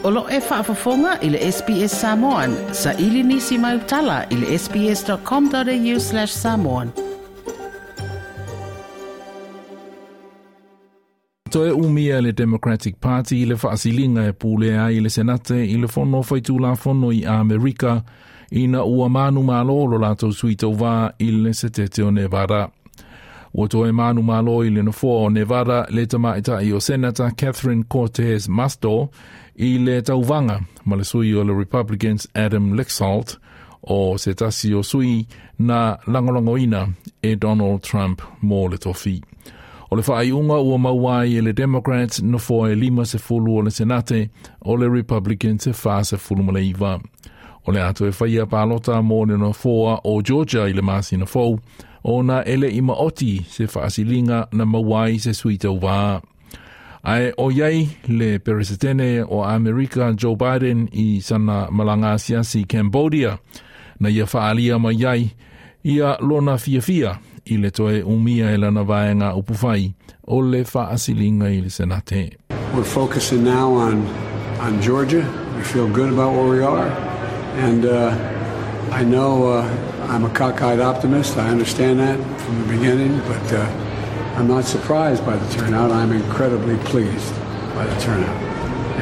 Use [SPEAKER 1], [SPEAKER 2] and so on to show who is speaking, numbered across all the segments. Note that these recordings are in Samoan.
[SPEAKER 1] O lo e faafofoga i le SBS Samoan. Sa ili nisi mai utala i le sbs.com.au/samoan.
[SPEAKER 2] Toe umia le Democratic Party i le faasiliga e pulea ai le Senate i le fono faitulafono i Amerika ina ua manumalo lo latou sui tauvā i le setete o Nevada. Ua toe manumalo i le nofoa o Nevada le tamaitai o Senata Catherine Cortez Masto i le tauvaga ma le sui o le Republicans Adam Laxalt o se tasi o sui na lagolagoina e Donald Trump mo le tofi. O le faaiuga ua maua ai e le Democrats nofoa e 50 o le Senate, o le Republicans e 49. O le a toe faia palota mo le nofoa o Georgia i le masina fou, ona e le i maoti se faasiliga na maua ai se sui tauvā. Ae o iai le Peresetene o Amerika Joe Biden i sana malaga asiasi i Cambodia, na ia faaalia mai ai ia lona fiafia i le toe umia e lana vaega upufai o le faasiliga i le Senate.
[SPEAKER 3] We're focusing now on, on Georgia. We feel good about where we are. And I know I'm a cockeyed optimist. I understand that from the beginning, but I'm not surprised by the turnout. I'm incredibly pleased by the turnout.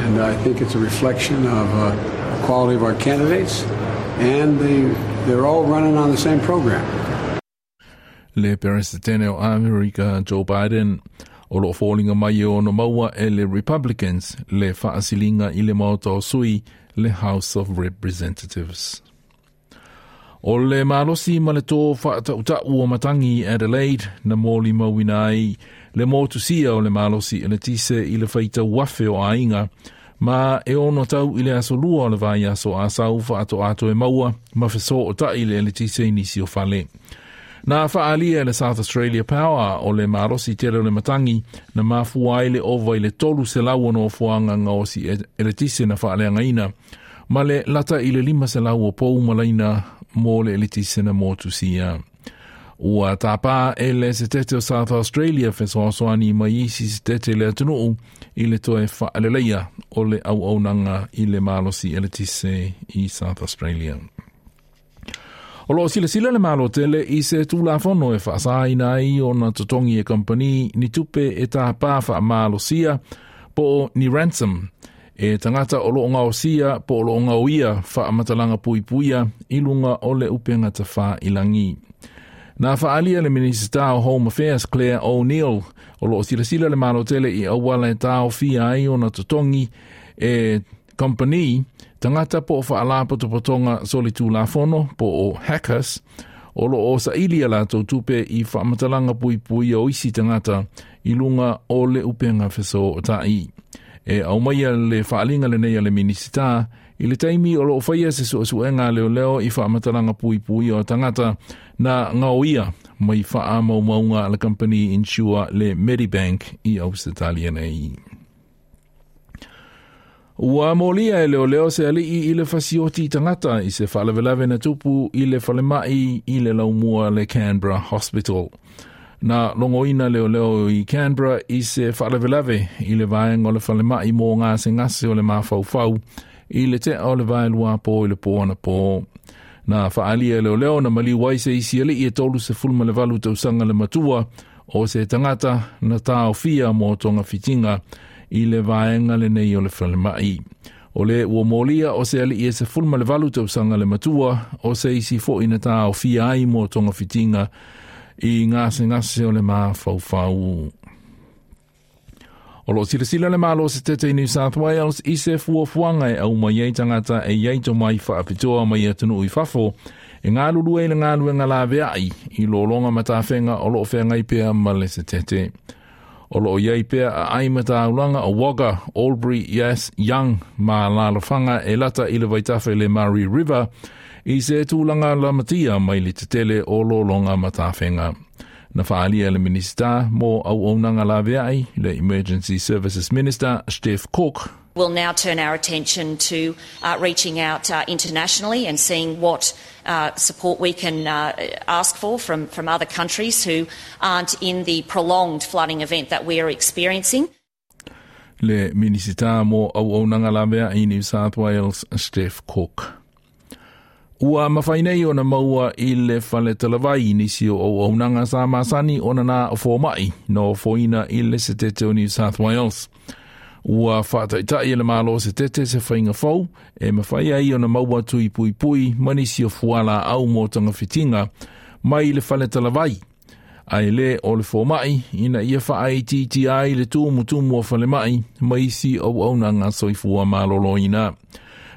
[SPEAKER 3] And I think it's a reflection of the quality of our candidates, and they're all running on the same program.
[SPEAKER 2] Le Peresetene o Amerika Joe Biden o lo o foliga mai e ono maua e le Republicans le faasiliga i le Maota o Sui le House of Representatives. O le malosi ma le tō faatautau o matangi i Adelaide na molimauina ai le motusia o le malosi eletise i le faitau afe o aiga ma e ono tau i le aso lua o le vaiaso Asau faatoa toe maua ma fesootai le eletise i nisi o fale. Na faaalia e le South Australia Power o le malosi tele o le matangi na mafua ai le ova i le 300 o nofoaga gaosi eletise na faaleagaina ma le lata i le 500 o pou malaina mo le eletise na motusia. Ua tapā e le setete o South Australia fesoasoani mai isi setete i le atunuu i le toe faaleleia o le auaunaga i le malosi eletise i South Australia. O lo o silasila le Malo tele i se Tulafono e faasāina ai ona totogi e kamupani ni tupe e tāpā faamalosia po o ni ransom e tagata o lo o gaosia po o lo o gaoia faamatalaga puipuia i luga o le upega tafailangi. Na faaalia le Minisita o Home Affairs Clare O'Neil o lo o silasila le Malo tele i auala e taofia ai ona totogi e Company, tagata po o faalapotopotoga solitulafono po o hackers, o lo o saili a latou tupe i faamatalaga puipuia o isi tagata i luga o le upega fesootai. E aumaia le faaaliga lenei a le Minisita i le taimi o lo o faia se suesuega a leoleo i faamatalaga puipuia o tagata na gaoia mai faamaumauga a le kamupani insure le Medibank i Ausetalia nei. Ua molia e leoleo se alii i le fasioti tagata i se faalavelave na tupu i le falemai i le laumua le Canberra Hospital. Na logoina leoleo i Canberra i se faalavelave i le vaega o le falemai mo gasegase o le mafaufau i le tea o le vaelua po i le po anapo. Na faaalia e leoleo na maliu ai se isi alii e 38 tausaga le matua o se tagata na taofia mo togafitiga i le vaega lenei o le falemai. O le ua molia o se alii e 18 tausaga le matua o se isi foi na taofia ai mo togafitiga i gasegase o le mafaufau. O lo o silasila le Malo Setete i New South Wales i se fuafuaga e aumai ai tagata e i ai tomai faapitoa mai atunuu i fafo e galulue i le galuega laveai i lologa ma tafega o lo o feagai pea ma le setete. O lo o i ai pea aai ma taulaga o Wagga, Albury, Yass, Young ma alaalafaga e lata i le vaitafe le Murray River i se tulaga lamatia mai le tetele o lologa ma tafega. Na faaalia e le Minisita mo Auaunaga Laveai, le Emergency Services Minister Steph Cook.
[SPEAKER 4] We'll now turn our attention to reaching out internationally and seeing what support we can ask for from, from other countries who aren't in the prolonged flooding event that we are experiencing.
[SPEAKER 2] Le Minisita mo Auaunaga Lavea'i i New South Wales, Steph Cook. Ua mafai nei ona maua i le fale talavai nisi o auaunaga sa masani ona na o foma'i na ofoina i le setete o New South Wales. Ua faataita'i e le Malo setete se faiga fou e mafai ai ona maua tui puipui ma nisi o fualaau mo togafitiga mai le fale talavai ae le o le foma'i ina ia faaitiitia ai le tumutumu o falema'i ma isi auaunaga soifua maloloina.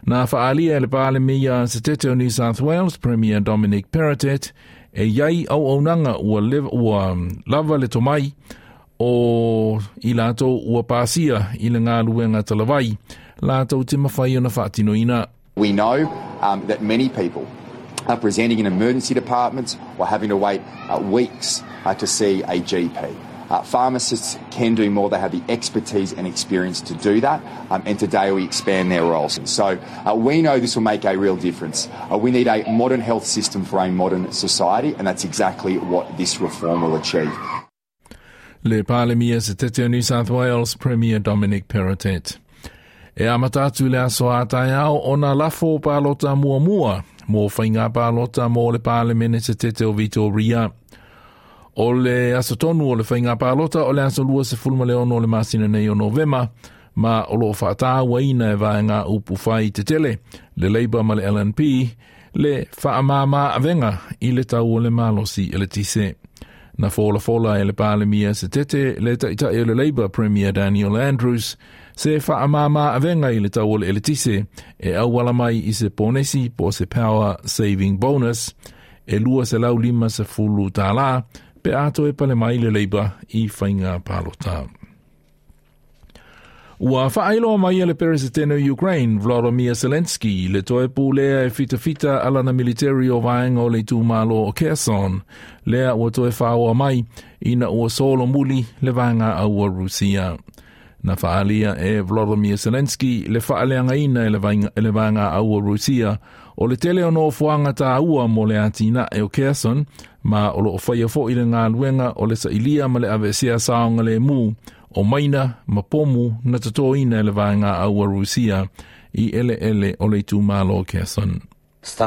[SPEAKER 2] Na faalia e le Palemia setete o New South Wales, Premier Dominic Perrottet, e iai auaunaga ua lava le tomai o i latou ua pasia i le galuega talavai latou te mafai ona faatinoina.
[SPEAKER 5] We know that many people are presenting in emergency departments or having to wait weeks to see a GP. Pharmacists can do more. They have the expertise and experience to do that, and today we expand their roles. So we know this will make a real difference. We need a modern health system for a modern society, and that's exactly what this reform will achieve.
[SPEAKER 2] Le Palemia setete o New South Wales, Premier Dominic Perrottet. E amata atu le aso a taeao ona lafo palota muamua mo faiga palota mo le Palemene setete o Victoria. O le aso tonu o le faiga palota o le aso 26 o le masina nei o Novema, ma o loo faatauaina e vaega upufai tetele, le Labour ma le LNP, le faamama avega i le tau o le malosi eletise. Na folafola e le Palemia setete le ta'ita'i o le Labour, Premier Daniel Andrews, se faamama avega i le tau o le eletise e auala mai i se ponesi po o se power saving bonus e $250 pe a toe pale mai le Labour i faiga palota. Ua faailoa mai e le Peresetene o Ukraine, Volodymyr Zelensky, le toe pulea e fitafita a lana military o vaega o le itumalo o Kherson, lea ua toe faaoa mai ina ua solomuli le vaega aua Rusia. Na faalia e Volodymyr Zelensky le faaleagaina e le vaega aua Rusia o le tele o nofoaga taua mo le atinae o Kherson, ma o loo faia fo'i le galuega o le sailia ma le aveesea saogalemu o maina ma pomu na totoina e le vaega aua Rusia i eleele o le itumalo o Kherson.
[SPEAKER 6] As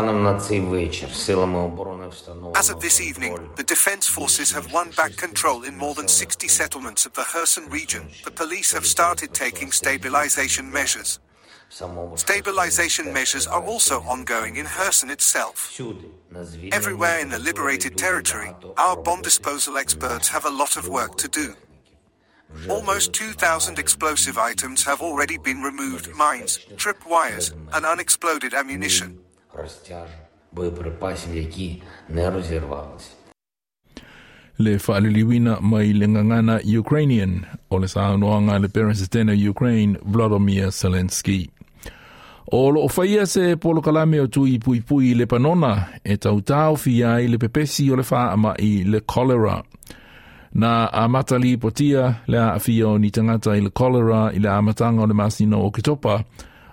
[SPEAKER 6] of this evening, the defense forces have won back control in more than 60 settlements of the Kherson region. The police have started taking stabilization measures. Stabilization measures are also ongoing in Kherson itself. Everywhere in the liberated territory, our bomb disposal experts have a lot of work to do. Almost 2,000 explosive items have already been removed: mines, tripwires, and unexploded ammunition.
[SPEAKER 2] Le faaliliuina mai le gagana Ukrainian o le saunoaga a le Peresetene o Ukraine, Volodymyr Zelensky. O loo faia se polokalame o tui puipui i Lepanona e tautaofia ai le pepesi o le faama'i le cholera. Na amata lipotia le aafia o ni tagata i le cholera i le amataga o le masina o Oketopa,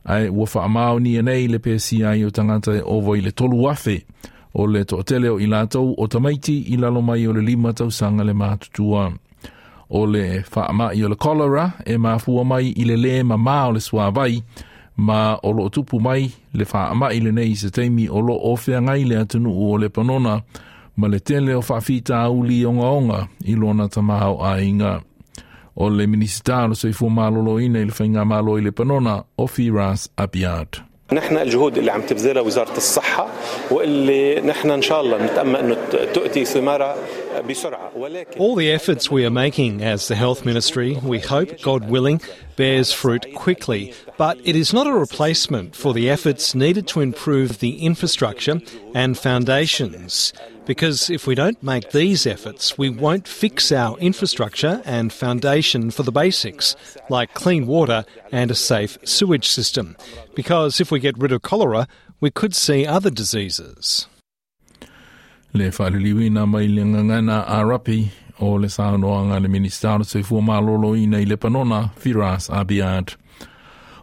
[SPEAKER 2] ae ua faamaonia nei le pesia ai o tagata e ova i le 3,000, o le toatele o i latou o tamaiti i lalo mai o le 5 tausaga le matutua. O le faama'i o le cholera e mafua mai i le lē mamā o le suāvai, ma o loo tupu mai le faama'i lenei i se taimi o loo feagai le atunuu o Lepanona ma le tele o faafitauli ogaoga i lona tamaoaiga. O le Minisita o le Soifua Maloloina i le Faigamalo i Lepanona, o Firas Abiad.
[SPEAKER 7] نحن الجهود اللي عم تبذلها وزارة الصحة واللي نحن إن شاء الله نتأمل أنه تؤتي ثمارها بسرعة ولكن
[SPEAKER 8] All the efforts we are making as the Health Ministry, we hope, God willing, bears fruit quickly. But it is not a replacement for the efforts needed to improve the infrastructure and foundations. Because if we don't make these efforts, we won't fix our infrastructure and foundation for the basics, like clean water and a safe sewage system. Because if we get rid of cholera, we could see other diseases.
[SPEAKER 2] Le faaliliuina mai le gagana Arapi o le saunoaga le Minisita o le Soifua Maloloina i Lepanona, Firas Abiad.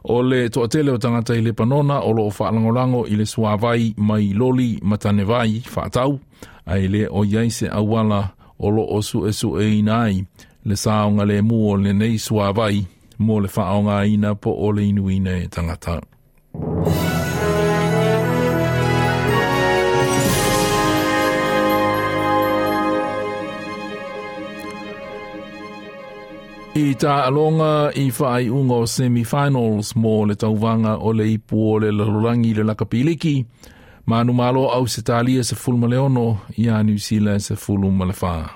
[SPEAKER 2] O le toatele o tagata i Lepanona o loo faalagolago i le suāvai mai loli ma tanevai faatau, ae le o iai se auala o loo suesueina ai le saogalemu o lenei suāvai mo le faaaogāina po o le inuina e tagata. I taaloga i faaiuga o semi-finals mo le tauvaga o le ipu o le lalolagi le lakapiliki, manumalo Ausetalia 16 iā Niu Sila 14.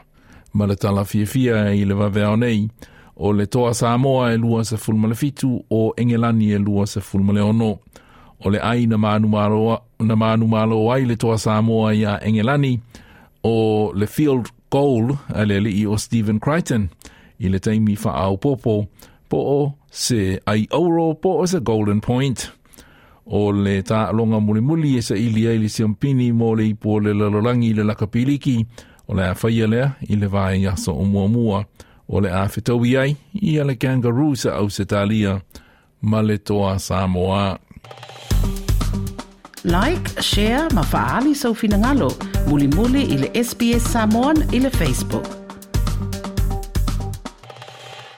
[SPEAKER 2] Ma le tala fiafia i le vaveao nei, o le toa Samoa e 27 o Engelani e 26. O le ai na manumalo ai le toa Samoa iā Engelani o le field goal a le alii o Stephen Crichton i le taimi faaopopo po o se ai auro po o se golden point. O le taaloga mulimuli e saili ai le siampini mo le ipu o le lalolagi i le lakapiliki o le a faia lea i le vaiaso o muamua o le a fetaui ai ia le Kangaroos a Ausetalia ma le toa Samoa.
[SPEAKER 1] Like, share ma faali sau finagalo. Mulimuli i le SBS Samoan i le Facebook.